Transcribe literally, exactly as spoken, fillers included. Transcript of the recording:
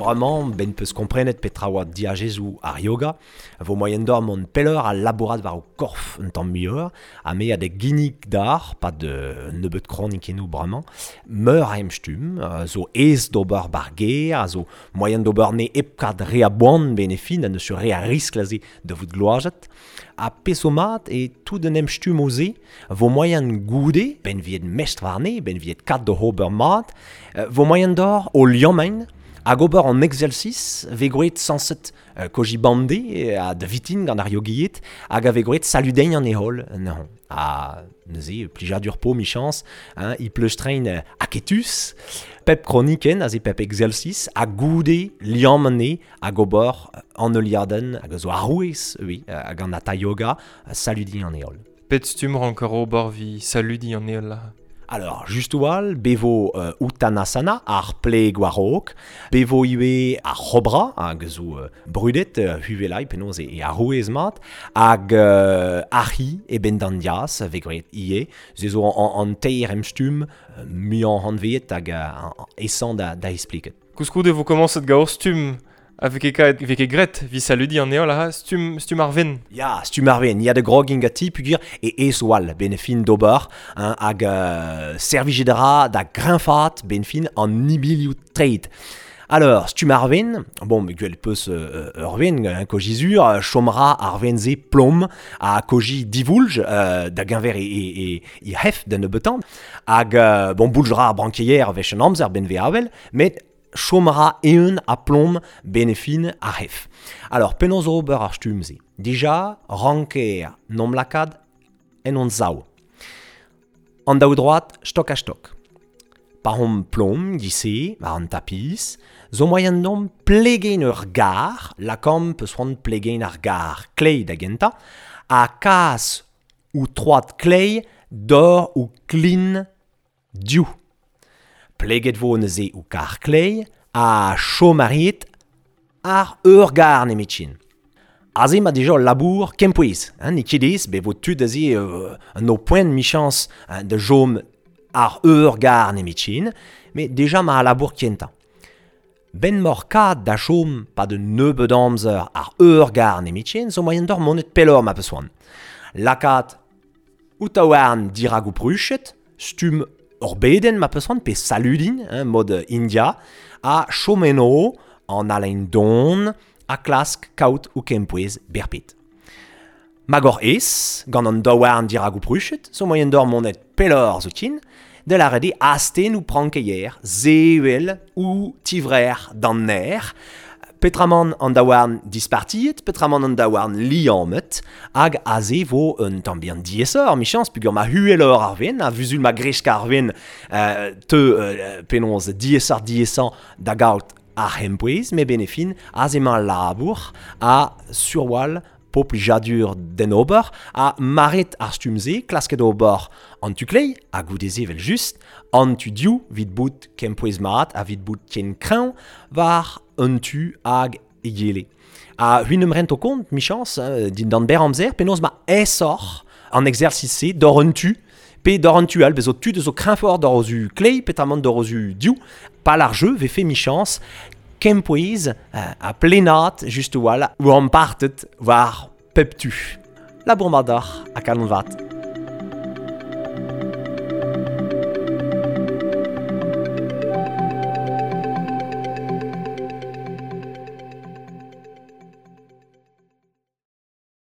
Bremañ, ben peus komprenet petra oa diazezoù ar yoga, vo moaien d'or mont pelloc'h ha labourat war ho korf un tamm muioc'h, ha me a da ginnig d'ar, pad euh, nebeut kronikennoù bremañ, meur a emstumm, euh, zo aes d'ober bar gêr, a zo moaien d'ober ne hep kad re a boan ben e fin, ha neus re a riskl aze da vout gloazet. Ha pezh zo mat e tout an emstummoù-se vo moaien goude, ben viet mestr warne, ben viet kat d'o ober mat, euh, vo moaien d'or o liammain, hag ober an exercice ve groet sañset euh, koji bande a da vitin gant ar yogiet, hag a ve groet saludein an heol, non. Ha neuze, plijadur po michans, hein, i pleustrein euh, aketus, pep kroniken, aze pep exercice, ha goude liamm anezhe hag ober an heuliadenn hag a zo arouez, oui, hag an hatha yoga, saludiñ an heol. Pet stumm ranker ober vi saludiñ an heol la. Alors, just oal, bevo euh, Uttanasana, ar pleg war-raok, bevo ivez ar c'hobra, hag zo euh, brudet, euh, huvelai, penaos e, e arouez mat, hag euh, ar c'hi e ben d'an diaz, ve graet ivez, se zo an, an teir emstumm, euh, muiañ anveet hag euh, esañ da, da espliket. Koulskoude vo komañset gant ur stumm a vez ket kaet, vez ket graet vi saludiñ an heol ha stumm, stumm ar ven. Ya, stumm ar ven, ya da grogin ganti peogwir e aes oal ben fin d'ober, hein, hag euh, servijet ra da greñfaat ben fin an ibilioù treid. Alors, stumm ar ven, bon, gwell peus euh, ur ven, hein, koji zur, chom ra ar ven-se plom ha koji divoulj euh, da geñver e, e, e, e hef da nebeutan, hag euh, bon, boulj ra ar brankeier wech an amzer ben ve avel, met chom ra eeun ha plom benefin ar hef. Alors, penaos ober ar stumm-se? Dija, ranker nom lakaat en hon sav. An daou droad, stok ha stok. Pa hom plom, gise, war an tapis, zo moaien dom plegein ur gar, lakaomp peus c'hoant plegein ar gar kleiz da gentañ, ha kas ou troad kleiz d'or ou klin diou. Pleget vo neuze ou kar kleiz ha chom a rit ar ur gar nemetkin. Aze ma dija ul labour kempouez, hein, n'eo ket aes, bet vo tud aze euh, an o poent michans, hein, da chom ar ur gar nemetkin, met dija ma labour kentañ. Ben mor kad da chom pa de nebeud amzer ar ur gar nemetkin, zo moaien d'or monet pelloc'h ma peus c'hoant. Lakaat ou taouarn dirak ou pruchet, stumm ur bedenn ma peus c'hoant, pe saludin, hein, mod India, ha chom eno an halein don ha klask kaout ou kempouez berped. Mag oc'h aes, gant an daouarn dirak ou pruchet, zo moaien d'or monet pelloc'h zoken, da lâret eo astenn ou prankeier, sevel ou tivrec'h d'an nec'h, petramant an daouarn dispartiet, petramant an daouarn liammet, hag aze vo un tamm bihan diaesoc'h, michans, peogwir ma hueloc'h ar ven, a vuzul ma gresk ar ven, euh, te euh, penaos diaesoc'h diaesañ da gaout ar c'hempouez, met benefin, aze emañ labour ha surwal po plijadur d'en ober, ha maret ar stumm-se, klasket ober an tu kleiz, ha goude-se vel just, an tu diou vit bout kempouez mat, ha vit bout ken kreñv war un tu hag egile. Ha c'hwi 'n em rento kont, michans, hein, dindan berr amzer, penaos ma aesoc'h an exercice-se d'or un tu, pe d'or un tu all, bez zo tud zo kreñvoc'h d'or o zu kleiz, peotramant d'or o zu diou, pal ar jeu vefe michans kempouez euh, ha plenaat just a-walc'h ou ampartet war pep tu. Labour mat deoc'h ha kalon vat.